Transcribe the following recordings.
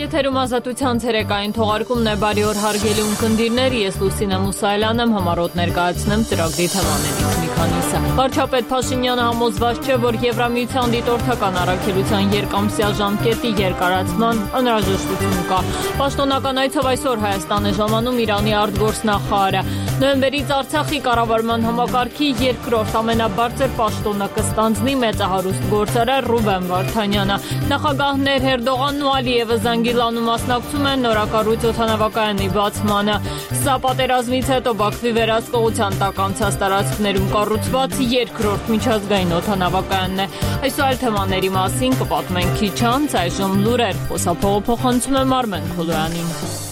Եթերում ազատության ցերեկային թողարկումն է, բարի օր հարգելի ունկնդիրներ, ես Լուսինե Մուսայելյան եմ, համառոտ ներկայացնեմ ծրագրի թեմաներից մի քանիսը։ Վարչապետ Փաշինյանը համոզված չէ, որ Եվրամիության դիտորդական առաքելության երկամսյա ժամկետի երկարացման անհրաժեշտություն կա։ Պաշտոնական այցով այսօր Հայաստան է ժամանում Իրանի արտգործնախարարը։ Նոյեմբերից Արցախի կառավարման համակարգի երկրորդ ամենաբարձր պաշտոնը կստանձնի մեծահարուստ գործարար Ռուբեն Վարդանյանը։ Նախագահներ Էրդողանն ու Ալիևը Զանգիլանում մասնակցում են նորակառույց օդանավակայանի բացմանը։ Սա պատերազմից հետո Բաքվի վերահսկողության տակ անցած տարածքներում կառուցված երկրորդ միջազգային օդանավակայանն է։ Այս այլ թեմաների մասին կպատմենք քիչ անց, այժմ լուրեր, խոսափողը փոխանցում եմ Արմեն Քոլոյանին։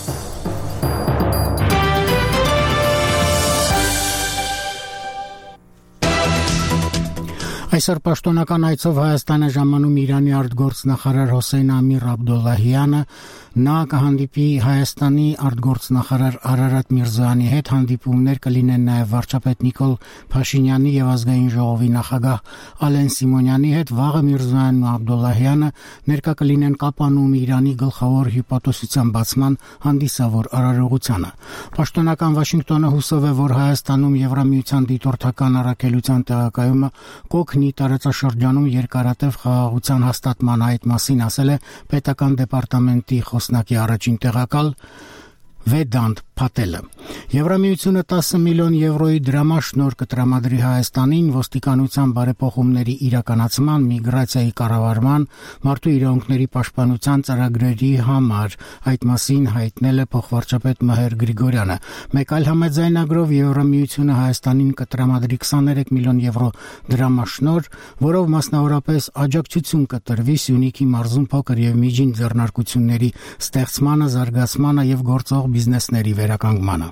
Այսօր պաշտոնական այցով Հայաստան է ժամանում Իրանի արտգործնախարար Հոսեյն Ամիր Աբդոլլահյանը, նա կհանդիպի Հայաստանի արտգործնախարար Արարատ Միրզոյանի հետ, հանդիպումներ կլինեն նաև վարչապետ Նիկոլ Փաշինյանի եւ ազգային ժողովի նախագահ Ալեն Սիմոնյանի հետ, վաղը Միրզոյանն ու Աբդոլլահյանը ներկա կլինեն Կապանում Իրանի գլխավոր հյուպատոսության բացման հանդիսավոր արարողությանը։ Պաշտոնական Վաշինգտոնը հուսով է, որ Հայաստանում Եվրամիության դիտորդական առաքելության տեղակայումը կօգնի տարածաշրջանում երկարատև խաղաղության հաստատման այդ մասին ասել է պետական դեպարտամենտի խոսնակի առաջին տեղակալ Վեդանտ Փատելը։ Եվրամիությունը 10 միլիոն եվրոյի դրամաշնորհ կտրամադրի Հայաստանին ոստիկանության բարեփոխումների իրականացման, միգրացիայի կառավարման, մարդու իրավունքների պաշտպանության ծրագրերի համար, այդ մասին հայտնել է փոխվարչապետ Մհեր Գրիգորյանը։ Մեկ այլ համաձայնագրով Եվրամիությունը Հայաստանին կտրամադրի 23 միլիոն եվրո դրամաշնորհ, որով մասնավորապես աջակցություն կտրվի Սյունիքի մարզում փոքր եւ միջին ձեռնարկությունների ստեղծմանը, զարգացմանը եւ գործող բիզնեսների վերականգնմանը։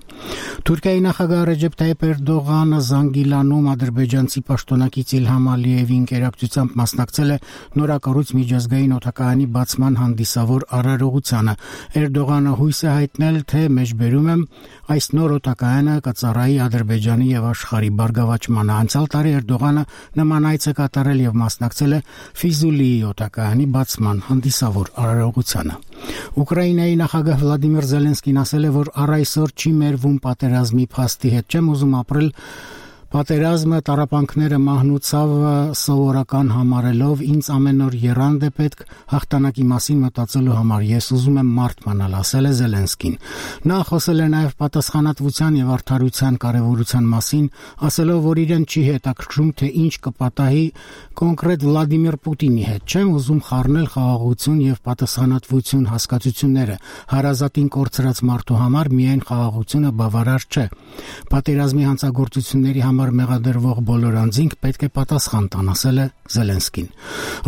Թուրքիայի նախագահ Ռեջեփ Թայիփ Էրդողանը Զանգիլանում ադրբեջանցի պաշտոնակից Իլհամ Ալիևի ընկերակցությամբ մասնակցել է նորակառույց միջազգային օդակայանի բացման հանդիսավոր արարողությանը։ Էրդողանը հույս է հայտնել, թե մեջբերում եմ այս նոր օդակայանը կծառայի Ադրբեջանի եւ աշխարհի բարգավաճմանը։ Անցյալ տարի Էրդողանը նման այց է կատարել եւ մասնակցել է Ֆիզուլիի օդակայանի բացման հանդիսավոր արարողությանը։ Ուկրաինայի նախագահ Վլադիմիր Զելենսկին ասել է, որ առ այսօր չի մերվում պատերազմի փաստի հետ, չեմ ուզում ապրել պատերազմը, տառապանքները, մահնուցավը սովորական համարելով, ինձ ամեն օր եռանդ է պետք հաղթանակի մասին մտածելու համար, ես ուզում եմ մարդ մնալ, ասել է Զելենսկին։ Նա խոսել է նաև պատասխանատվության եւ արդարության կարեւորության մասին, ասելով, որ իրեն չի հետաքրքրում, թե ինչ կպատահի կոնկրետ Վլադիմիր Պուտինի հետ, չեմ ուզում խառնել խաղաղություն եւ պատասխանատվություն հասկացությունները, հարազատին կորցրած մարդու համար միայն խաղաղությունը բավարար չէ։ Պատերազմի հանցագործությունների համար մեղադրվող բոլոր անձինք պետք է պատասխան տան, ասել է Զելենսկին։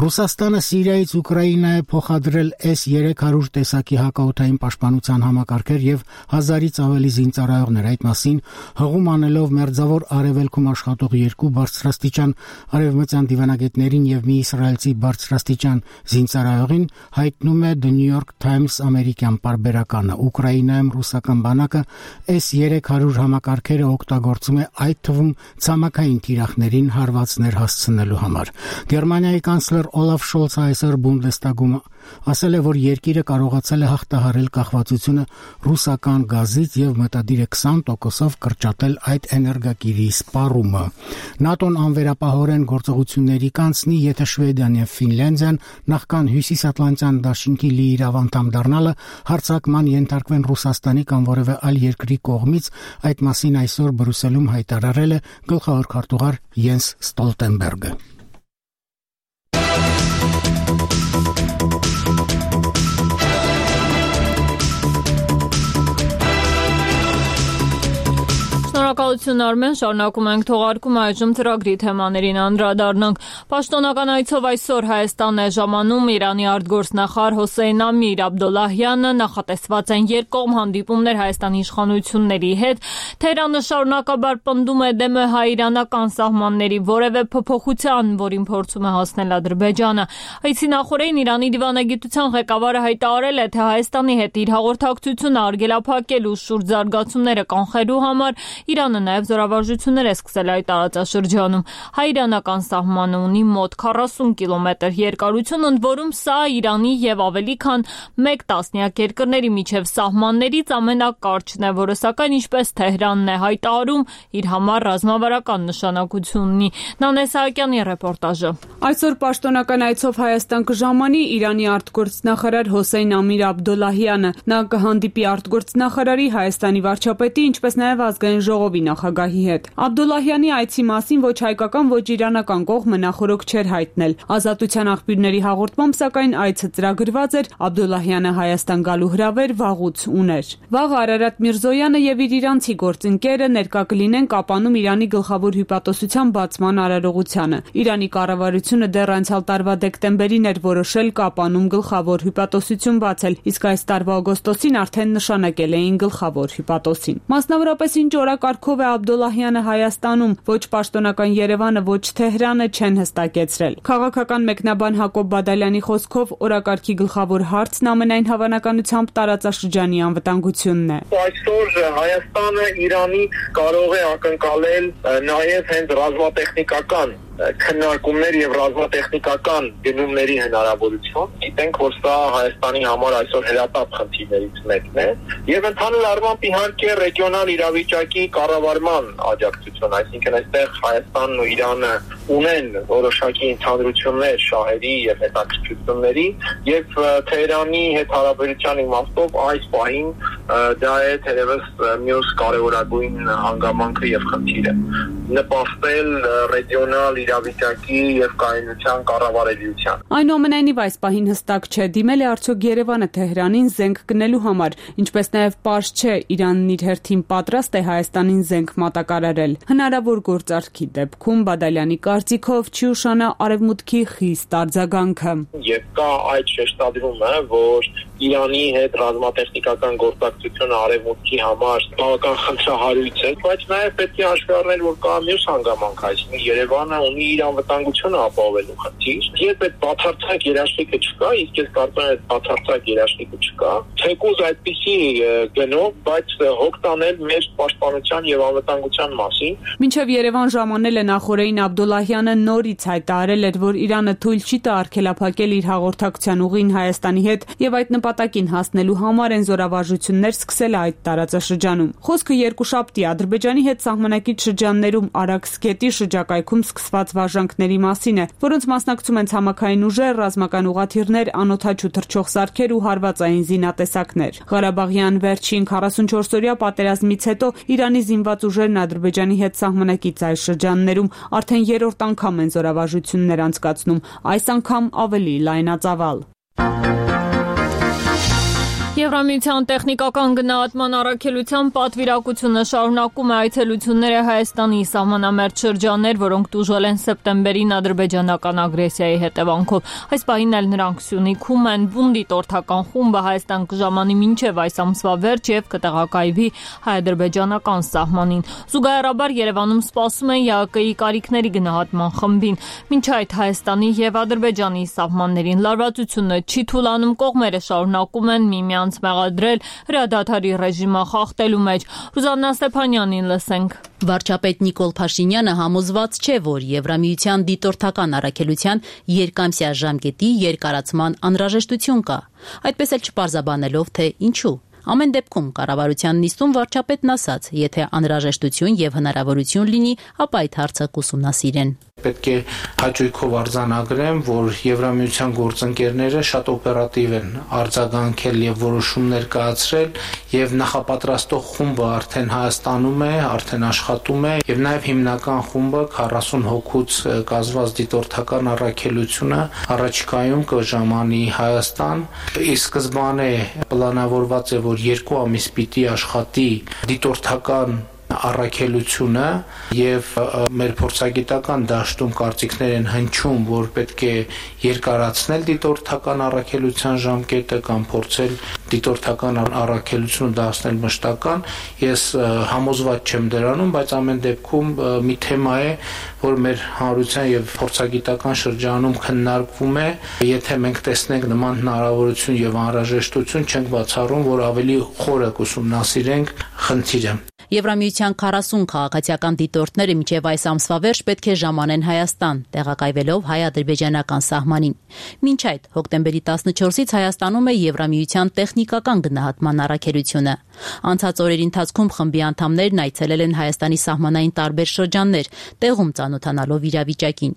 Ռուսաստանը Սիրիայից Ուկրաինա է փոխադրել S-300 տեսակի հակաօդային պաշտպանության համակարգեր եւ 1000-ից ավելի զինծառայողներ, այդ մասին հղում անելով Մերձավոր Արևելքում աշխատող երկու բարձրաստիճան արևմտյան դիվանագետներին եւ մի իսրայելցի բարձրաստիճան զինծառայողին, հայտնում է The New York Times ամերիկյան պարբերականը։ Ուկրաինայում ռուսական բանակը S-300 համակարգերը օգտագործում է այդ թվում ցամաքային թիրախներին հարվածներ հասցնելու համար։ Գերմանիայի կանցլեր Օլաֆ Շոլցը այսօր Բունդեստագում ասել է, որ երկիրը կարողացել է հաղթահարել կախվածությունը ռուսական գազից եւ մտադիր է 20%-ով կրճատել այդ էներգակիրի սպառումը։ ՆԱՏՕ-ն անվերապահորեն գործողությունների կանցնի, եթե Շվեդիան եւ Ֆինլանդիան նախքան Հյուսիսատլանտյան դաշինքի լիիրավ անդամ դառնալը հարձակման ենթարկվեն Ռուսաստանի կամ որևէ այլ երկրի կողմից, այդ մասին այսօր Բրյուսելում հայտարարել է գլխավոր քարտուղար Յենս Ստոլտենբերգը։ Շնորհակալություն Արմեն, շարունակում ենք թողարկումը, այժմ ծրագրի թեմաներին անդրադառնանք։ Պաշտոնական այցով այսօր Հայաստան է ժամանում Իրանի արտգործնախարար Հոսեյն Ամիր Աբդոլլահյանը, նախատեսված են երկկողմ հանդիպումներ Հայաստանի իշխանությունների հետ։ Թեհրանը շարունակաբար պնդում է դեմ է հայ-իրանական սահմանների որևէ փոփոխության, որին փորձում է հասնել Ադրբեջանը։ Այցի նախօրեին Իրանի դիվանագիտության ղեկավարը հայտարարել է, թե Հայաստանի հետ իր հաղորդակցությունը արգելափակելու շուրջ զարգացումները կանխելու համար Իրանը նաև զորավարժություններ է սկսել այդ տարածաշրջանում։ Հայ-իրանական սահմանը ունի մոտ 40 կիլոմետր երկարություն, ընդ որում սա Իրանի եւ ավելի քան 1 տասնյակ երկրների միջև սահմաններից ամենակարճն է, որը սակայն ինչպես Թեհրանն է հայտարարում, իր համար ռազմավարական նշանակություն ունի։ Նանե Սահակյանի ռեպորտաժը։ Այսօր պաշտոնական այցով Հայաստան կժամանի Իրանի արտգործնախարար Հոսեյն Ամիր Աբդոլլահյանը։ Նա կհանդիպի արտգործնախարարի, Հայաստանի վարչապետի, ինչպես նաև ազգային ժողովի նախագահի հետ։ Աբդոլլահյանի այցի մասին ոչ հայկական, ոչ իրանական կողմը նախօրոք չէր հայտնել։ Ազատության աղբյուրների հաղորդմամբ, սակայն այցը ծրագրված էր, Աբդոլլահյանը Հայաստան գալու հրավեր վաղուց ուներ։ Վաղ Արարատ Միրզոյանը եւ իր իրանցի գործընկերը ներկա կլինեն Կապանում Իրանի գլխավոր հյուպատոսության բացման արարողությանը։ Իրանի կառավարությունը դեռ անցյալ տարվա դեկտեմբերին էր որոշել Կապանում գլխավոր հյուպատոսություն բացել, իսկ այս տարվա օգոստոսին արդեն նշանակել էին գլխավոր հյուպատոսին։ Մասնավորապես ինչ օրակարգով է Աբդոլլահյանը Հայաստանում, ոչ պաշտոնական Երևանը, ոչ Թեհրանը չեն հստակեցրել։ Քաղաքական մեկնաբան Հակոբ Բադալյանի խոսքով օրակարգի գլխավոր հարցն ամենայն հավանականությամբ տարածաշրջանի անվտանգությունն է։ Այսօր Հայաստանը Իրանի կարող է ակնկալել նաև հենց ռազմատեխնիկական քննարկումներ եւ ռազմատեխնիկական գնումների հնարավորություն։ Գիտենք, որ սա Հայաստանի համար այսօր հրատապ խնդիրներից մեկն է եւ ընդհանուր առմամբ իհարկե ռեգիոնալ իրավիճակի կառավարման աջակցություն, այսինքն այստեղ Հայաստանն ու Իրանը ունեն որոշակի ընդհանրություններ շահերի եւ հետաքրքրությունների եւ Թեհրանի հետ հարաբերության իմաստով այս պահին դա է թերևս մյուս կարևորագույն հանգամանքը եւ խնդիրը նպաստել ռեգիոնալ իրավիճակի եւ կայունության կառավարելիության։ Այնուամենայնիվ այս պահին հստակ չէ դիմել է արդյոք Երևանը Թեհրանին զենք գնելու համար, ինչպես նաև պարզ չէ Իրանն իր հերթին պատրաստ է Հայաստանին զենք մատակարարել։ Հնարավոր գործարքի դեպքում Բադալյանի կարծիքով չի ուշանա արևմուտքի խիստ արձագանքը։ Եվ կա այդ շեշտադրումը, որ Իրանի հետ ռազմատեխնիկական գործակցությունը արևմուտքի համար բավական խնդրահարույց է, բայց նաև պետք է հաշվի առնել, որ կա մյուս հանգամանք, այսինքն Երևանը ունի իր անվտանգությունը ապահովելու խնդիր։ Երբ այդ բացարձակ երաշխիքը չկա, իսկ ես կարծում եմ այդ բացարձակ երաշխիքը չկա, թեկուզ այդպիսի գնով, բայց հոգ տանել մեր պաշտպանության եւ անվտանգության մասին։ Մինչև Երևան ժամանել է նախորդին Աբդոլլահյանը նորից հայտարարել էր, որ Իրանը թույլ չի տա արգելափակել իր հաղորդակցության ուղին Հայաստանի հետ եւ այդ նպատակին հասնելու համար են զորավարժություններ սկսել այդ տարածաշրջանում։ Խոսքը երկուշաբթի Ադրբեջանի հետ սահմանակից շրջաններում Արաքս գետի շրջակայքում սկսված վարժանքների մասին է, որոնց մասնակցում են ցամաքային ուժեր, ռազմական ուղղաթիռներ, անօդաչու թռչող սարքեր ու հարվածային զինատեսակներ։ Ղարաբաղյան վերջին 44-օրյա պատերազմից հետո Իրանի զինված ուժերն Ադրբեջանի հետ սահմանակից այս շրջաններում արդեն երրորդ անգամ են զորավարժություններ անցկացնում, այս անգամ ավելի լայնածավալ։ Եվրամիության տեխնիկական գնահատման առաքելության պատվիրակությունը շարունակում է այցելությունները Հայաստանի սահմանամերձ շրջաններ, որոնք տուժել են սեպտեմբերին ադրբեջանական ագրեսիայի հետևանքով։ Այս պահին էլ նրանք Սյունիքում են, Բունդի տորթական խումբը Հայաստան կժամանի մինչև այս ամսվա վերջ եւ կտեղակայվի հայ-ադրբեջանական սահմանին։ Զուգահեռաբար Երևանում սպասում են ԵԱԿ-ի կարիքների գնահատման խմբին։ Մինչ այդ Հայաստանի եւ Ադրբեջանի սահմաններին լարվածությունը չի թուլանում, կողմերը շարունակում են միմյանց մեղադրել հրադադարի ռեժիմը խախտելու մեջ։ Ռուզաննա Ստեփանյանին լսենք։ Վարչապետ Նիկոլ Փաշինյանը համոզված չէ, որ Եվրամիության դիտորդական առաքելության երկամսյա ժամկետի երկարացման անհրաժեշտություն կա։ Այդպես էլ չպարզաբանելով, թե ինչու։ Ամեն դեպքում կառավարության նիստում վարչապետն ասաց, եթե անհրաժեշտություն եւ հնարավորություն լինի, ապա այդ հարցը կուսումնասիրեն։ Պետք է հաճույքով արձանագրեմ, որ Եվրամիության գործընկերները շատ օպերատիվ են արձագանքել եւ որոշումներ կայացրել եւ նախապատրաստող խումբը արդեն Հայաստանում է, արդեն աշխատում է եւ նաեւ հիմնական խումբը 40 հոգուց կազմված դիտորդական առաքելությունը առաջիկայում կժամանի Հայաստան։ Ի սկզբանե պլանավորված է, որ 2 ամիս պիտի աշխատի դիտորդական առաքելությունը եւ մեր փորձագիտական դաշտում կարծիքներ են հնչում, որ պետք է երկարացնել դիտորդական առաքելության ժամկետը կամ փորձել դիտորդական առաքելությունը դարձնել մշտական։ Ես համոզված չեմ դրանում, բայց ամեն դեպքում մի թեմա է, որ մեր հանրության եւ փորձագիտական շրջանում քննարկվում է։ Եթե մենք տեսնենք նման հնարավորություն եւ անհրաժեշտություն, չենք բացառում, որ ավելի խորը կուսումնասիրենք խնդիրը։ Եվրամիության 40 քաղաքացիական դիտորդները մինչև այս ամսվա վերջ պետք է ժամանեն Հայաստան, տեղակայվելով հայ-ադրբեջանական սահմանին։ Մինչ այդ, հոկտեմբերի 14-ից Հայաստանում է Եվրամիության տեխնիկական գնահատման առաքելությունը։ Անցած օրերի ընթացքում խմբի անդամներն այցելել են Հայաստանի սահմանային տարբեր շրջաններ, տեղում ծանոթանալով իրավիճակին։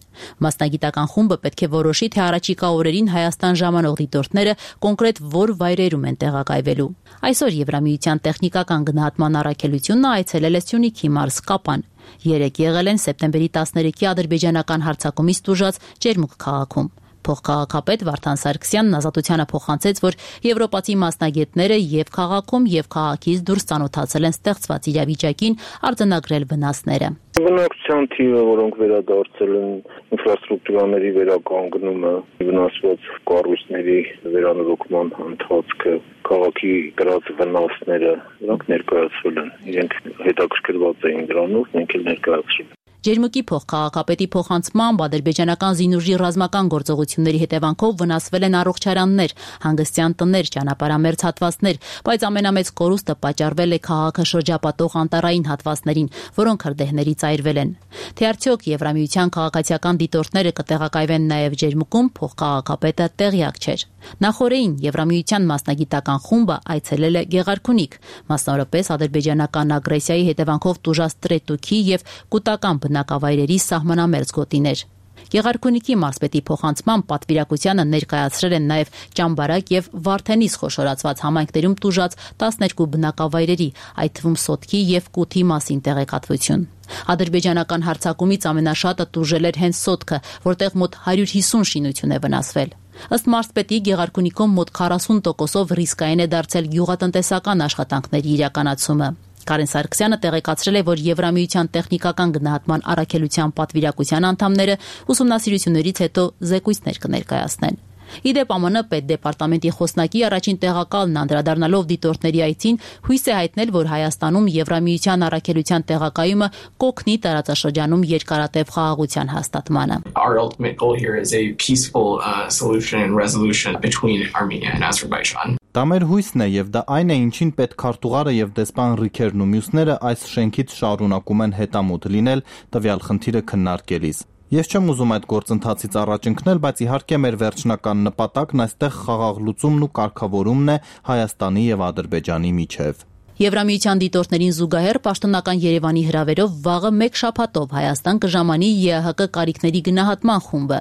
Մասնագիտական խումբը պետք է որոշի, թե առաջիկա օրերին Հայաստան ժամանող դիտորդները կոնկրետ որ վայրերում են տեղակայվելու։ Այսօր Եվրամիության տեխնիկական գնահատման առաքելությունը այցելել է Սյունիքի մարզ Կապան։ Երեկ եղել են սեպտեմբերի 13-ի ադրբեջանական հարձակումից տուժած Ջերմուկ քաղաքում։ Փոխքաղաքապետ Վարդան Սարգսյանն Ազատությանը փոխանցեց, որ եվրոպացի մասնագետները եւ քաղաքում եւ քաղաքից դուրս ծանոթացել են ստեղծված իրավիճակին, արձանագրել վնասները։ Բնակչության թիվը, որոնք վերադարձել են, ինֆրաստրուկտուրաների վերականգնումը, վնասված կառույցների վերանորոգման ընթացքը, քաղաքի կրած վնասները, դրանք ներկայացվել են։ Իրենք հետաքրքրված էին դրանով, մենք էլ ներկայացրել։ Ջերմուկի փոխքաղաքապետի փոխանցմամբ ադրբեջանական զինուժի ռազմական գործողությունների հետևանքով վնասվել են առողջարաններ, հանգստյան տներ, ճանապարհամերձ հատվածներ, բայց ամենամեծ կորուստը պատճառվել է քաղաքը շրջապատող անտառային հատվածներին, որոնք հրդեհներից այրվել են։ Թե արդյոք Եվրամիության քաղաքացիական դիտորդները կտեղակայվեն նաև Ջերմուկում, փոխքաղաքապետը տեղյակ չէր։ Նախորդին Եվրամիության մասնագիտական խումբը այցելել է Գեղարքունիք, մասնավորապես ադրբեջանական ագրեսիայի հետևանքով տուժած Տրետուքի եւ Կուտական բնակավայրերի սահմանամերձ գոտիներ։ Գեղարքունիքի մարզպետի փոխանցմամբ պատվիրակությանը ներկայացրել են նաև Ճամբարակ եւ Վարդենիս խոշորացված համայնքներում տուժած 12 բնակավայրերի, այդ թվում Սոտքի եւ Կութի մասին տեղեկատվություն։ Ադրբեջանական հարձակումից ամենաշատը տուժել էր հենց Սոտքը, որտեղ մոտ 150 շինություն է վնասվել։ Ըստ մարզպետի Գեղարքունիքում մոտ 40%-ով ռիսկային է դարձել գյուղատնտեսական աշխատանքների իրականացումը։ Կարեն Սարգսյանը տեղեկացրել է, որ Եվրամիության տեխնիկական գնահատման առաքելության պատվիրակության անդամները ուսումնասիրություններից հետո զեկույցներ կներկայացնեն։ Իդեպ ԱՄՆ պետդեպարտամենտի խոսնակի առաջին տեղակալն անդրադառնալով դիտորդների այցին հույս է հայտնել, որ Հայաստանում Եվրամիության առաքելության տեղակայումը կօգնի տարածաշրջանում երկարատև խաղաղության հաստատմանը։ Our ultimate goal here is a peaceful solution and resolution between Armenia and Azerbaijan. Դա մեր հույսն է եւ դա այն է, ինչին պետքարտուղարը եւ դեսպան Ռիքերն ու մյուսները այս շենքից շարունակում են հետամուտ լինել տվյալ խնդիրը քննարկելիս։ Ես չեմ ուզում այդ գործընթացից առաջ ընկնել, բայց իհարկե մեր վերջնական նպատակն այստեղ խաղաղ լուծումն ու կարգավորումն է Հայաստանի եւ Ադրբեջանի միջև։ Եվրամիության դիտորդներին զուգահեռ պաշտոնական Երևանի հրավերով վաղը մեկ շաբաթով Հայաստան կժամանի ԵԱՀԿ կարիքների գնահատման խումբը։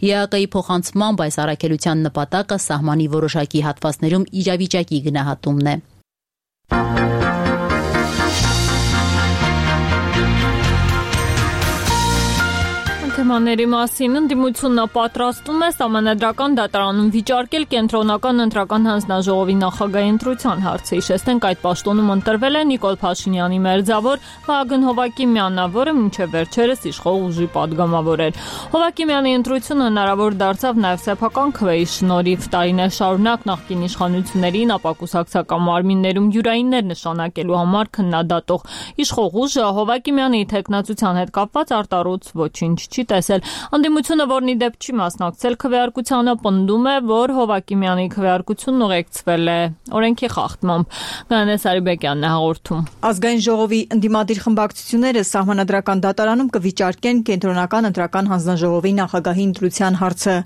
ԵԱՀԿ-ի փոխանցմամբ այս առաքելության նպատակը սահմանի որոշակի հատվածներում իրավիճակի գնահատումն է։ Թեմաների մասին ընդդիմությունը պատրաստում է Սահմանադրական դատարանում վիճարկել կենտրոնական ընտրական հանձնաժողովի նախագահի ընտրության հարցը։ Հիշեցնենք, այդ պաշտոնում ընտրվել է Նիկոլ Փաշինյանի մերձավոր Վահագն Հովհակիմյանը, որը մինչև վերջերս իշխող ուժի падգամավոր էր։ Հովհակիմյանի ընտրությունը հնարավոր դարձավ նաև սեփական քվեի շնորհիվ։ Տարիներ շարունակ նախկին իշխանություններին ապակուսակցական մարմիններում յուրայիններ նշանակելու համար քննադատող իշխող ուժը Հովհակիմյանի թեկնածության հետ կապված արտառոց ոչինչ չի տեսել։ Ընդդիմությունը, որն ի դեպ չի մասնակցել քվեարկությանը, պնդում է, որ Հովհակիմյանի քվեարկությունն ուղեկցվել է օրենքի խախտմամբ։ Գայանե Սարիբեկյանն է հաղորդում։ Ազգային ժողովի ընդդիմադիր խմբակցությունները Սահմանադրական դատարանում կվիճարկեն կենտրոնական ընտրական հանձնաժողովի նախագահի ընտրության հարցը։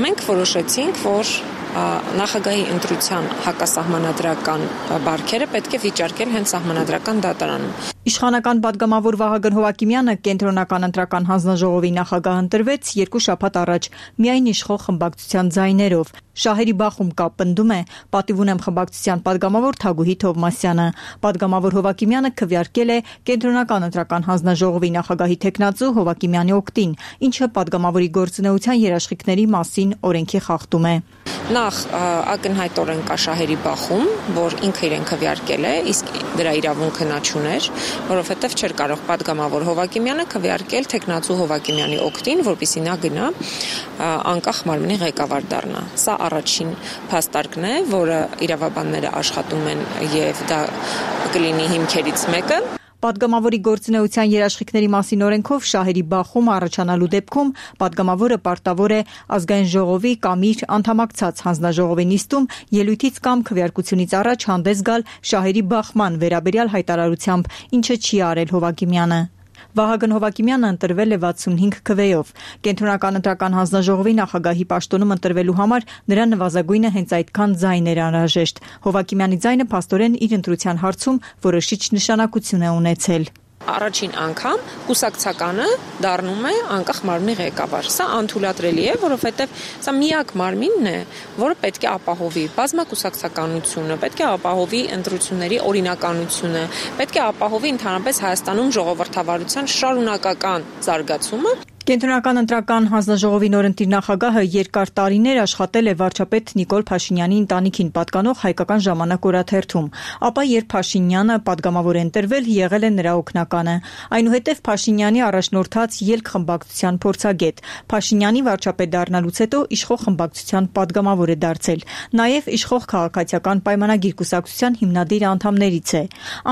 Մենք որոշեցինք, որ նախագահի ընտրության հակասահմանադրական բարքերը պետք է վիճարկել հենց Սահմանադրական դատարանում։ Իշխանական падգամավոր Վահագն Հովհակիմյանը կենտրոնական ընտրական հանձնաժողովի նախագահ ընտրվեց 2 շաբաթ առաջ միայն իշխող խմբակցության ձայներով։ Շահերի բախում կա, պնդում է Պատիվ ունեմ խմբակցության падգամավոր Թագուհի Թովմասյանը։ Падգամավոր Հովհակիմյանը քվեարկել է կենտրոնական ընտրական հանձնաժողովի նախագահի թեկնածու Հովհակիմյանի օգտին, ինչը падգամավորի գործունեության երաշխիքների մասին օրենքի խախտում է։ Նախ ակնհայտորեն կա շահերի բախում, որ ինքը իրեն քվեարկել է, իսկ դրա իրավունքը նա չուներ, որովհետև չէր կարող падգամավոր Հովհակիմյանը քվեարկել թեկնածու Հովհակիմյանի օգտին, որպեսզի նա գնա անկախ մարմնի ղեկավար դառնա։ Սա առաջին փաստարկն է, որը իրավաբանները աշխատում են, եւ դա կլինի հիմքերից մեկը։ Պատգամավորի գործունեության երաշխիքների մասին օրենքով շահերի բախում առաջանալու դեպքում պատգամավորը պարտավոր է ազգային ժողովի կամ իր անդամակցած հանձնաժողովի նիստում ելույթից կամ քվեարկությունից առաջ հանդես գալ շահերի բախման վերաբերյալ հայտարարությամբ, ինչը չի արել Հովակիմյանը։ Վահագն Հովակիմյանը ընտրվել է 65 քվեով։ Կենտրոնական ընտրական հանձնաժողովի նախագահի պաշտոնում ընտրվելու համար նրա նվազագույնը հենց այդքան ձայն էր անհրաժեշտ։ Հովակիմյանի ձայնը փաստորեն իր ընտրության հարցում որոշիչ նշանակություն է ունեցել։ Առաջին անգամ կուսակցականը դառնում է անկախ մարմնի ղեկավար։ Սա անթույլատրելի է, որովհետև սա միակ մարմինն է, որը պետք է ապահովի բազմակուսակցականությունը, պետք է ապահովի ընտրությունների օրինականությունը, պետք է ապահովի ընդհանրապես Հայաստանում ժողովրդավարության շարունակական զարգացումը։ Կենտրոնական ընտրական հանձնաժողովի նորընտիր նախագահը երկար տարիներ աշխատել է վարչապետ Նիկոլ Փաշինյանի ընտանիքին պատկանող Հայկական ժամանակ օրաթերթում, ապա երբ Փաշինյանը պատգամավոր է ընտրվել, եղել է նրա օգնականը։ Այնուհետև Փաշինյանի առաջնորդած ելք խմբակցության փորձագետ։ Փաշինյանի վարչապետ դառնալուց հետո իշխող խմբակցության պատգամավոր է դարձել։ Նաև իշխող քաղաքացիական պայմանագիր կուսակցության հիմնադիր անդամներից է։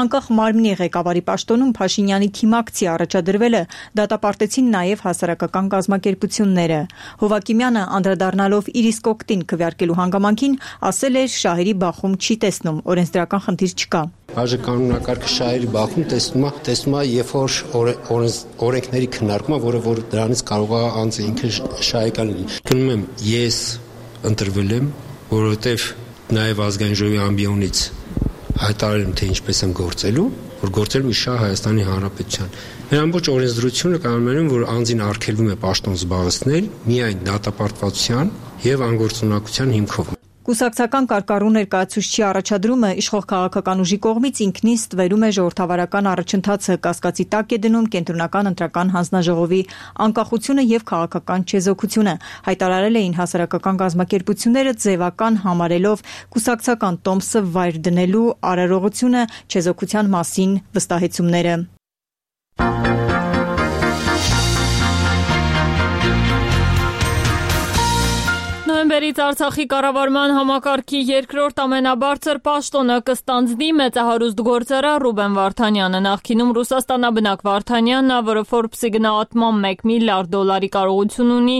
Անկախ մարմնի ղեկավարի պաշտոնում Փաշինյանի թիմակցի առաջադրվելը դատապարտեցին նաև հասարակական կազմակերպությունները։ Հովակիմյանը անդրադառնալով իր իսկ օգտին քվեարկելու հանգամանքին ասել էր շահերի բախում չի տեսնում, օրենսդրական խնդիր չկա։ Բաժականոնակարգը շահերի բախում տեսնում է, երբ որ օրենքների քննարկումը, որ դրանից կարող է անձը ինքը շահեկան լինի։ Գնում եմ, ես ընտրվել եմ, որովհետև նաև ազգային ժողովի ամբիոնից հայտարարել եմ, թե ինչպես եմ գործելու, որ գործելու շահ Հայաստանի Հանրապետության։ Մեր ամբողջ օրենսդրությունը կանոնում, որ անձին արգելվում է պաշտոն զբաղեցնել միայն դատապարտվածության եւ անգործունակության հիմքով։ Կուսակցական կարկառու ներկայացուցչի առաջադրումը իշխող քաղաքական ուժի կողմից ինքնին ստվերում է ժողովրդավարական առաջընթացը, կասկածի տակ է դնում կենտրոնական ընտրական հանձնաժողովի անկախությունը եւ քաղաքական չեզոքությունը, հայտարարել էին հասարակական կազմակերպությունները ձևական համարելով կուսակցական տոմսը վայր դնելու արարողությունը չեզոքության մասին վստահեցումները։ Նոյեմբերից Արցախի կառավարման համակարգի երկրորդ ամենաբարձր պաշտոնը կստանձնի մեծահարուստ գործարար Ռուբեն Վարդանյանը։ Նախկինում Ռուսաստանաբնակ Վարդանյանն, որը Forbes-ի գնահատմամբ $1 միլիարդ կարողություն ունի,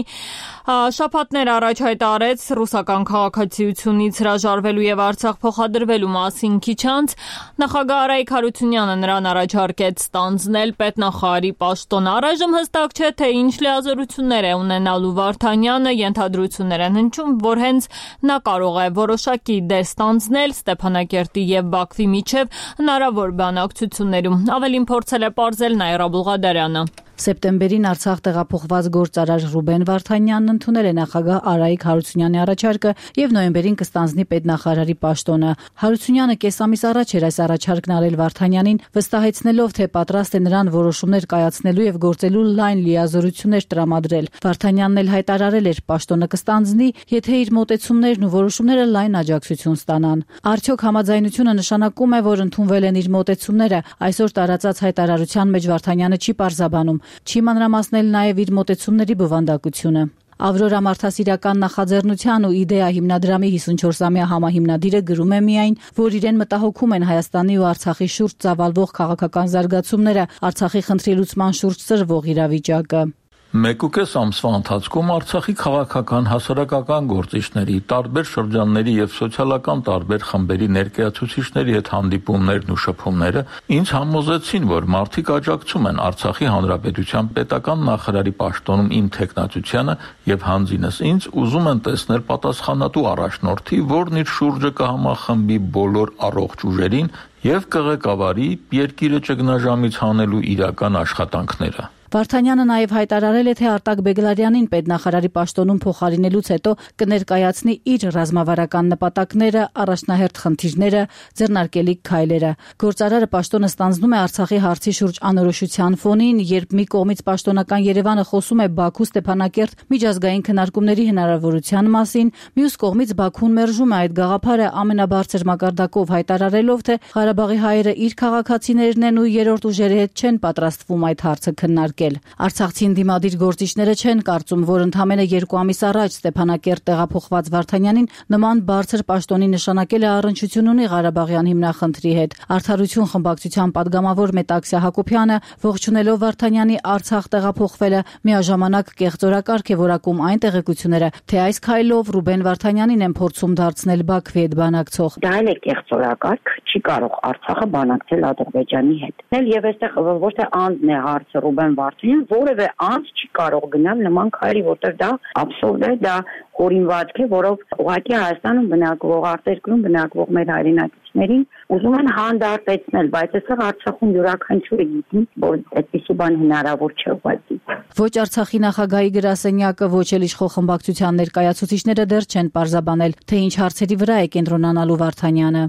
շաբաթներ առաջ հայտարարեց ռուսական քաղաքացիությունից հրաժարվելու եւ Արցախ փոխադրվելու մասին։ Քիչ անց նախագահ Արայիկ Հարությունյանը նրան առաջարկեց ստանձնել պետնախարարի պաշտոնը։ Առայժմ հստակ չէ, թե ինչ լիազորություններ է ունենալու Վարդանյանը, ենթադրություններ են հնչում, որ հենց նա կարող է որոշակի դեր ստանձնել Ստեփանակերտի եւ Բաքվի միջև հնարավոր բանակցություններում։ Ավելին փորձել է պարզել Նաիրա Բուլղադարյանը։ Սեպտեմբերին Արցախ տեղափոխված գործարար Ռուբեն Վարդանյանն ընդունել է նախագահ Արայիկ Հարությունյանի առաջարկը եւ նոյեմբերին կստանձնի պետնախարարի պաշտոնը։ Հարությունյանը կես ամիս առաջ էր այս առաջարկն արել Վարդանյանին, վստահեցնելով, թե պատրաստ է նրան որոշումներ կայացնելու եւ գործելու լայն լիազորություններ տրամադրել։ Վարդանյանն էլ հայտարարել էր, պաշտոնը կստանձնի, եթե իր մոտեցումներն ու որոշումները լայն աջակցություն ստանան։ Արդյոք համաձայնությունը նշանակում է, որ ընդունվել են իր մոտեցումները։ Այսօր տարածած հայտարարության մեջ Վարդանյանը չի պարզաբանում, չի մանրամասնել նաև իր մոտեցումների բովանդակությունը։ Ավրորա մարդասիրական նախաձեռնության ու իդեա հիմնադրամի 54-ամյա համահիմնադիրը գրում է միայն, որ իրեն մտահոգում են Հայաստանի ու Արցախի շուրջ ծավալվող քաղաքական զարգացումները, Արցախի խնդրի լուծման շուրջ սրվող իրավիճակը։ 1.5 ամսվա ընթացքում Արցախի քաղաքական հասարակական գործիչների, տարբեր շրջանների եւ սոցիալական տարբեր խմբերի ներկայացուցիչների հետ հանդիպումներն ու շփումները ինձ համոզեցին, որ մարդիկ աջակցում են Արցախի Հանրապետության պետական նախարարի պաշտոնում իմ թեկնածությանը եւ հանձինս ինձ ուզում են տեսնել պատասխանատու առաջնորդի, որն իր շուրջը կհամախմբի բոլոր առողջ ուժերին եւ կղեկավարի երկիրը ճգնաժամից հանելու իրական աշխատանքները։ Վարդանյանը նաև հայտարարել է, թե Արտակ Բեգլարյանին պետնախարարի պաշտոնում փոխարինելուց հետո կներկայացնի իր ռազմավարական նպատակները, առաջնահերթ խնդիրները, ձեռնարկելիք քայլերը։ Գործարարը պաշտոնը ստանձնում է Արցախի հարցի շուրջ անորոշության ֆոնին, երբ մի կողմից պաշտոնական Երևանը խոսում է Բաքու-Ստեփանակերտ միջազգային քննարկումների հնարավորության մասին, մյուս կողմից Բաքուն մերժում է այդ գաղափարը ամենաբարձր մակարդակով հայտարարելով, թե Ղարաբաղի հայերը իր քաղաքացիներն են ու երրորդ ուժերի հետ չեն պատրաստվում այդ հարցը քննարկել։ քննարկել։ Արցախցին դիմադիր գործիչները չեն կարծում, որ ընդամենը 2 ամիս առաջ Ստեփանակերտ տեղափոխված Վարդանյանին նման բարձր պաշտոնի նշանակել է առնչություն ունի Ղարաբաղյան հիմնախնդրի հետ։ Արդարություն խմբակցության падգամավոր Մետաքսիա Հակոբյանը ողջունելով Վարդանյանի Արցախ տեղափոխվելը միաժամանակ կեղծորակարգ է որակում այն տեղեկությունները, թե այս քայլով Ռուբեն Վարդանյանին են փորձում դարձնել Բաքվի հետ բանակցող։ Դա էլ է կեղծորակարգ, չի կարող Արցախը բանակցել Ադրբեջանի հետ։ Եվ այստեղ ոչ թե անձն է հարցը Ռուբեն Վարդանյան, որևէ անձ չի կարող գնալ նման քայլի, որտեղ դա աբսուրդ է, դա հորինվածք է, որով ուղղակի Հայաստանում բնակվող, արտերկրում բնակվող մեր հայրենակիցներին ուզում են հանդարտեցնել, բայց այստեղ Արցախում յուրաքանչյուրը գիտի, որ այդպիսի բան հնարավոր չէ ուղղակի։ Ոչ Արցախի նախագահի գրասենյակը, ոչ էլ իշխող խմբակցության ներկայացուցիչները դեռ չեն պարզաբանել, թե ինչ հարցերի վրա է կենտրոնանալու Վարդանյանը։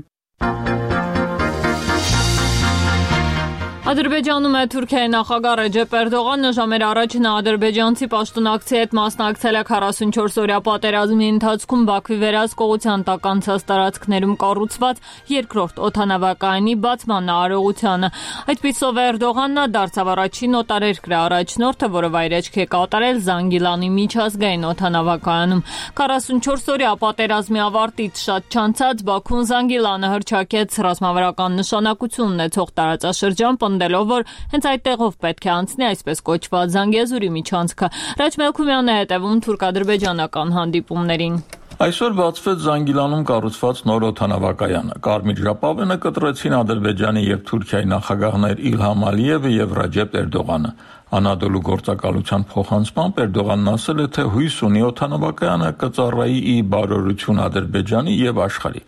Ադրբեջանում է Թուրքիայի նախագահ Ռեջեփ Էրդողանը ժամեր առաջ նա ադրբեջանցի պաշտոնակցի հետ մասնակցել է 44-օրյա պատերազմի ընթացքում Բաքվի վերահսկողության տակ անցած տարածքներում կառուցված երկրորդ օդանավակայանի բացման արարողությանը։ Այդպիսով Էրդողանն դարձավ առաջին օտարերկրյա առաջնորդը, որը վայրեջք է կատարել Զանգիլանի միջազգային օդանավակայանում։ 44-օրյա պատերազմի ավարտից շատ չանցած Բաքուն Զանգիլանը հռչակեց ռազմավարական նշանակություն ունեցող տարածաշրջան, պնդելով, որ հենց այդտեղով պետք է անցնի այսպես կոչված Զանգեզուրի միջանցքը։ Ռաջ Մելքումյանն է հետևում թուրք-ադրբեջանական հանդիպումներին։ Այսօր բացվեց Զանգիլանում կառուցված նոր օդանավակայանը։ Կարմիր ժապավենը կտրեցին Ադրբեջանի եւ Թուրքիայի նախագահներ Իլհամ Ալիևը եւ Ռաջեփ Էրդողանը։ Անադոլու գործակալության փոխանցմամբ Էրդողանն ասել է, թե հույս ունի օդանավակայանը կծառայի ի բարօրություն Ադրբեջանի եւ աշխարհի։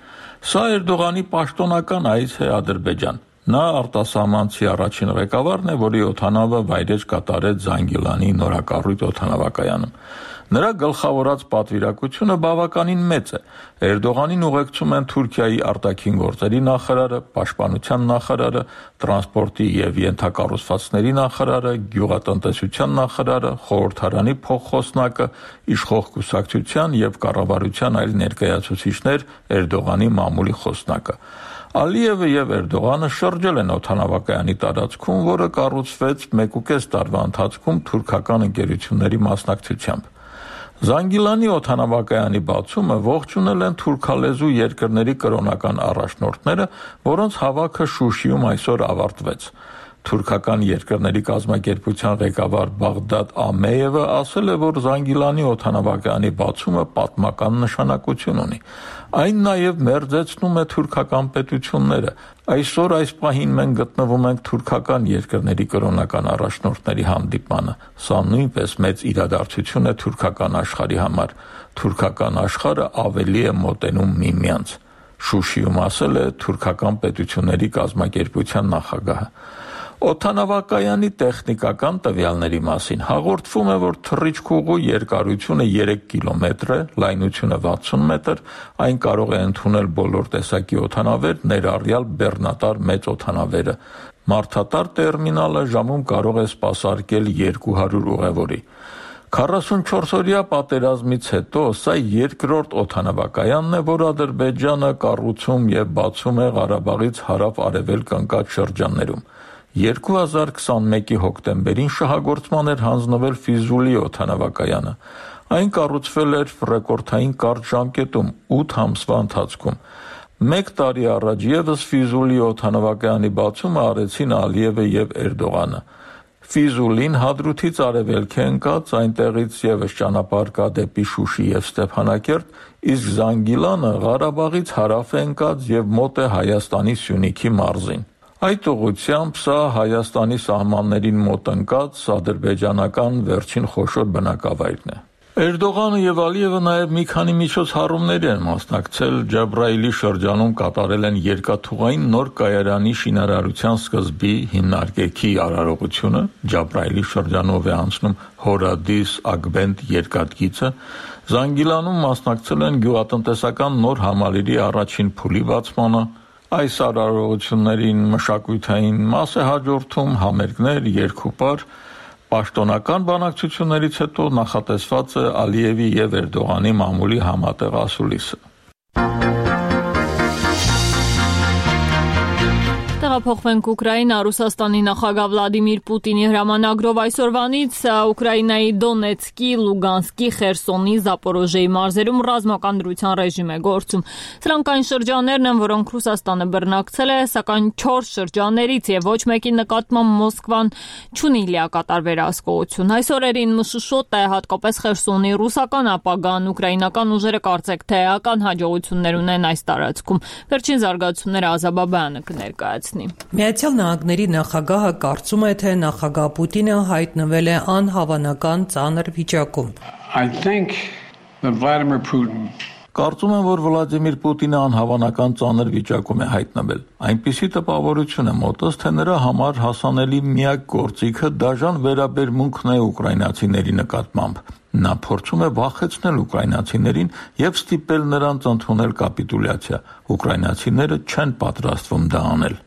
Սա Էրդողանի պաշտոնական այց է Ադրբեջան։ Նա արտասահմանցի առաջին ղեկավարն է, որի օդանավը վայրեջք կատարեց Զանգիլանի նորակառույց օդանավակայանում։ Նրա գլխավորած պատվիրակությունը բավականին մեծ է։ Էրդողանին ուղեկցում են Թուրքիայի արտաքին գործերի նախարարը, պաշտպանության նախարարը, տրանսպորտի եւ ենթակառուցվածքների նախարարը, գյուղատնտեսության նախարարը, խորհրդարանի փոխխոսնակը, իշխող կուսակցության եւ կառավարության այլ ներկայացուցիչներ, Էրդողանի մամուլի խոսնակը։ Ալիևը եւ Էրդողանը շրջել են օդանավակայանի տարածքում, որը կառուցվեց 1.5 տարվա ընթացքում թուրքական ընկերությունների մասնակցությամբ։ Զանգիլանի օդանավակայանի բացումը ողջունել են թուրքալեզու երկրների կրոնական առաջնորդները, որոնց հավաքը Շուշիում այսօր ավարտվեց։ Թուրքական երկրների կազմակերպության ղեկավար Բաղդադ Ամեևը ասել է, որ Զանգիլանի օդանավակայանի բացումը պատմական նշանակություն ունի։ Այն նաև մերձեցնում է թուրքական պետությունները։ Այսօր այս պահին մենք գտնվում ենք թուրքական երկրների կրոնական առաջնորդների հանդիպմանը։ Սա նույնպես մեծ իրադարձություն է թուրքական աշխարհի համար։ Թուրքական աշխարհը ավելի է մոտենում միմյանց, Շուշիում ասել է թուրքական պետությունների կազմակերպության նախագահը։ Օդանավակայանի տեխնիկական տվյալների մասին հաղորդվում է, որ թռիչքուղու երկարությունը 3 կիլոմետր է, լայնությունը 60 մետր, այն կարող է ընդունել բոլոր տեսակի օդանավեր, ներառյալ բեռնատար մեծ օդանավերը։ Մարդատար տերմինալը ժամում կարող է սպասարկել 200 ուղևորի։ 44-օրյա պատերազմից հետո սա երկրորդ օդանավակայանն է, որ Ադրբեջանը կառուցում եւ բացում է Ղարաբաղից հարավ-արևելք ընկած շրջաններում։ 2021-ի հոկտեմբերին շահագործման էր հանձնվել Ֆիզուլի օդանավակայանը։ Այն կառուցվել էր ռեկորդային կարճ ժամկետում 8 ամսվա ընթացքում։ 1 տարի առաջ եւս Ֆիզուլի օդանավակայանի բացումը արեցին Ալիևը եւ Էրդողանը։ Ֆիզուլին Հադրութից արևելք է ընկած, այնտեղից եւս ճանապարհ կա դեպի Շուշի եւ Ստեփանակերտ, իսկ Զանգիլանը Ղարաբաղից հարավ է ընկած եւ մոտ է Հայաստանի Սյունիքի մարզին։ Այդ ուղղությամբ սա Հայաստանի սահմաններին մոտ ընկած ադրբեջանական վերջին խոշոր բնակավայրն է։ Էրդողանը եւ Ալիևը նաեւ մի քանի միջոցառումների են մասնակցել Ջաբրայիլի շրջանում կատարել են երկաթուղային նոր կայարանի շինարարության սկզբի հիմնարկեքի արարողությունը, Ջաբրայիլի շրջանով է անցնում Հորադիս Ագբենդ երկաթգիծը, Զանգիլանում մասնակցել են գյուղատնտեսական նոր համալիրի առաջին փուլի բացմանը, այս արարողություններին մշակութային մաս է հաջորդում համերգներ, երկուպար, պաշտոնական բանակցություններից հետո նախատեսված է Ալիևի եւ Էրդողանի մամուլի համատեղ ասուլիսը։ Տեղափոխվենք Ուկրաինա, Ռուսաստանի նախագահ Վլադիմիր Պուտինի հրամանագրով այսօրվանից Ուկրաինայի Դոնեցկի, Լուգանսկի, Խերսոնի, Զապորոժիեի մարզերում ռազմական դրության ռեժիմ է գործում։ Սրանք այն շրջաններն են, որոնք Ռուսաստանը բռնակցել է, սակայն 4 շրջաններից եւ ոչ մեկի նկատմամբ Մոսկվան չունի լիակատար վերահսկողություն։ Այս օրերին մշուշոտ է հատկապես Խերսոնի ռուսական ապագան, ուկրաինական ուժերը կարծեք թե էական հաջողություններ ունեն այս տարածքում։ Վերջին զարգացումները Ազաբաբյանը կներկայացնի։ Միացյալ Նահանգների նախագահը կարծում է, թե նախագահ Պուտինը հայտնվել է անհավանական ծանր վիճակում։ Կարծում եմ, որ Վլադիմիր Պուտինը անհավանական ծանր վիճակում է հայտնվել։ Այնպիսի տպավորություն է մոտս, թե նրա համար հասանելի միակ գործիքը դաժան վերաբերմունքն է ուկրաինացիների նկատմամբ։ Նա փորձում է վախեցնել ուկրաինացիներին եւ ստիպել նրանց ընդունել կապիտուլյացիա։ Ուկրաինացիները չեն պատրաստվում դա անել։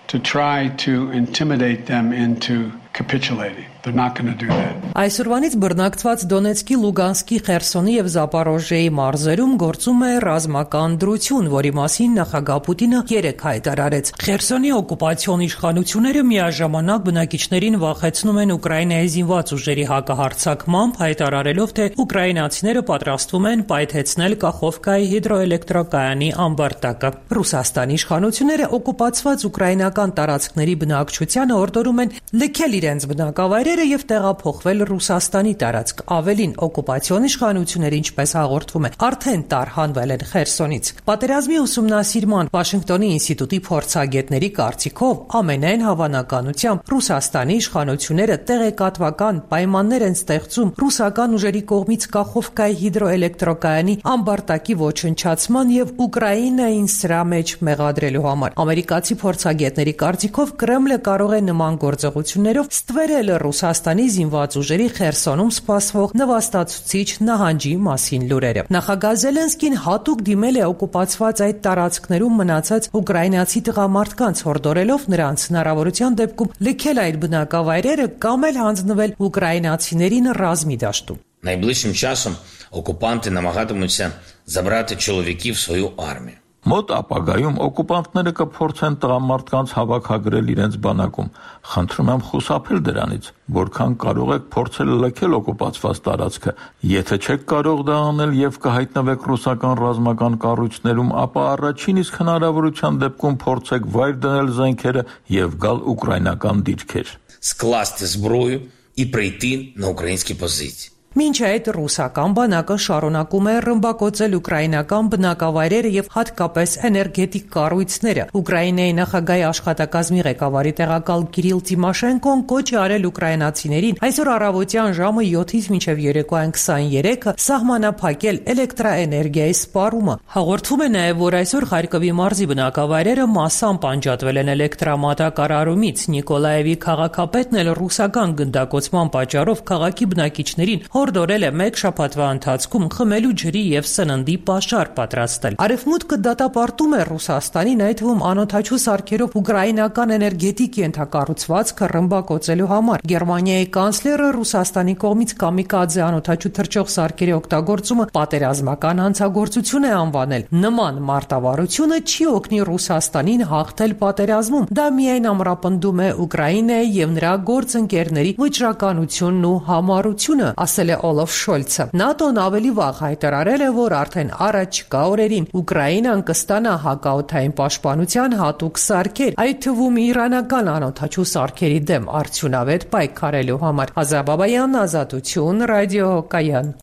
To try to intimidate them into capitulating. They're not going to do that. Այսօրվանից բռնակցված Դոնեցկի, Լուգանսկի, Խերսոնի եւ Զապորոժիեի մարզերում գործում է ռազմական դրություն, որի մասին նախագահ Պուտինը երեկ հայտարարեց։ Խերսոնի օկուպացիոն իշխանությունները միաժամանակ բնակիչներին վախեցնում են Ուկրաինայի զինված ուժերի հակահարձակմամբ, հայտարարելով, թե ուկրաինացիները պատրաստվում են պայթեցնել Կախովկայի հիդրոէլեկտրակայանի ամբարտակը։ Ռուսաստանի իշխանությունները օկուպացված ուկրաինական տարածքների բնակչությանը օրդորում են լքել իրենց բնակավայրերը եւ տեղափոխվել Ռուսաստանի տարածք։ Ավելին, օկուպացիոն իշխանությունները, ինչպես հաղորդվում է, արդեն տարհանվել են Խերսոնից։ Պատերազմի ուսումնասիրման Վաշինգտոնի ինստիտուտի փորձագետների կարծիքով ամենայն հավանականությամբ Ռուսաստանի իշխանությունները տեղեկատվական պայմաններ են ստեղծում ռուսական ուժերի կողմից Կախովկայի հիդրոէլեկտրակայանի ամբարտակի ոչնչացման եւ Ուկրաինային սրա մեջ մեղադրելու համար։ Ամերիկացի փորձագետների կարծիքով Կրեմլը կարող է նման գործողություններով ստվերել Ռուսաստանի զինված ուժերի Խերսոնում սպասվող նվաստացուցիչ նահանջի մասին լուրերը։ Նախագահ Զելենսկին հատուկ դիմել է օկուպացված այդ տարածքներում մնացած ուկրաինացի տղամարդկանց, հորդորելով նրանց հնարավորության դեպքում լքել այդ բնակավայրերը կամ էլ հանձնվել ուկրաինացիներին ռազմի դաշտում։ Найближчим часом окупанти намагатимуться забрати чоловіків в свою армію. Մոտ ապագայում օկուպանտները կփորձեն տղամարդկանց հավաքագրել իրենց բանակում։ Խնդրում եմ խուսափել դրանից, որքան կարող եք փորձել լքել օկուպացված տարածքը։ Եթե չեք կարող դա անել եւ կհայտնվեք ռուսական ռազմական կառույցներում, ապա առաջին իսկ հնարավորության դեպքում փորձեք վայր դնել զենքերը եւ գալ ուկրաինական դիրքեր։ Скласти зброю і прийти на українські позиції. Մինչ այդ ռուսական բանակը շարունակում է ռմբակոծել ուկրաինական բնակավայրերը եւ հատկապես էներգետիկ կառույցները։ Ուկրաինայի նախագահի աշխատակազմի ղեկավարի տեղակալ Կիրիլ Տիմոշենկոն կոչ է արել ուկրաինացիներին այսօր առավոտյան ժամը 7-ից մինչև երեկոյան 23-ը սահմանափակել էլեկտրաէներգիայի սպառումը։ Հաղորդվում է նաեւ, որ այսօր Խարկովի մարզի բնակավայրերը մասամբ անջատվել են էլեկտրամատակարարումից։ Նիկոլաևի քաղաքապետն էլ ռուսական գնդակոծման պատճառով քաղաքի բնակիչներին հորդորել է մեկ շաբաթվա ընթացքում խմելու ջրի եւ սննդի պաշար պատրաստել։ Արևմուտքը դատապարտում է Ռուսաստանին, այդ թվում անօթաչու սարքերով ուկրաինական էներգետիկ ենթակառուցվածքը ռմբակոծելու համար։ Գերմանիայի կանցլերը Ռուսաստանի կողմից կամիկադզե անօթաչու թռչող սարքերի օգտագործումը պատերազմական հանցագործություն է անվանել։ Նման մարտավարությունը չի օգնի Ռուսաստանին հաղթել պատերազմում։ Դա միայն ամրապնդում է Ուկրաինայի եւ նրա գործընկերների վճռականությունն ու համառությունը, ասել է Օլաֆ Շոլցը։ ՆԱՏՕ-ն ավելի վաղ հայտարարել է, որ արդեն առաջիկա օրերին Ուկրաինան կստանա հակաօդային պաշտպանության հատուկ սարքեր, այդ թվում իրանական անօթաչու սարքերի դեմ արդյունավետ պայքարելու համար։ Ազաբաբայան, Ազատություն, ռադիո Կայան։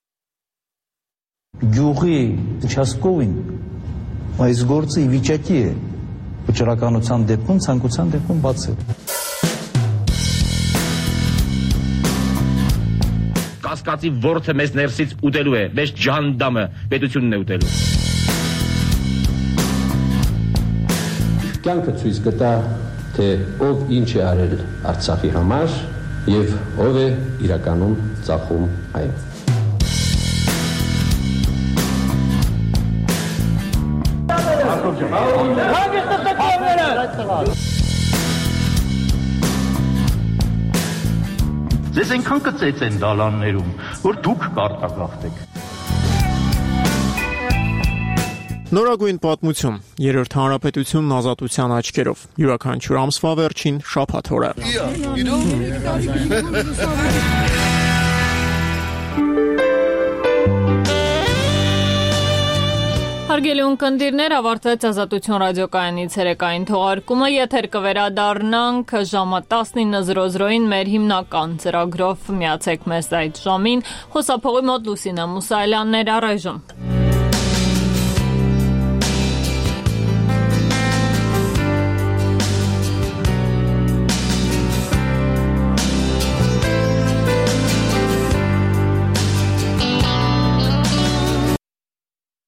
Գյուղի участковին այս գործը ի վիճակի է վճռականության դեպքում, ցանկության դեպքում բացել։ Կասկածի ворթը մեզ ներսից ուտելու է, մեզ ջանդամը պետությունն է ուտելու։ Կյանքը ցույց կտա, թե ով ինչ է արել Արցախի համար եւ ով է իրականում ծախում այն։ Ձեզ այնքան կծեց են դալաններում, որ դուք կարտագաղթեք։ Նորագույն պատմություն, երրորդ հանրապետությունն ազատության աչքերով, յուրաքանչյուր ամսվա վերջին շաբաթ օրը։ Հարգելի ունկնդիրներ, ավարտվեց Ազատություն ռադիոկայանի ցերեկային թողարկումը, եթեր կվերադառնանք ժամը 19:00-ին մեր հիմնական ծրագրով, միացեք մեզ այդ ժամին, խոսափողի մոտ Լուսինա Մուսայելյանն էր, առայժմ։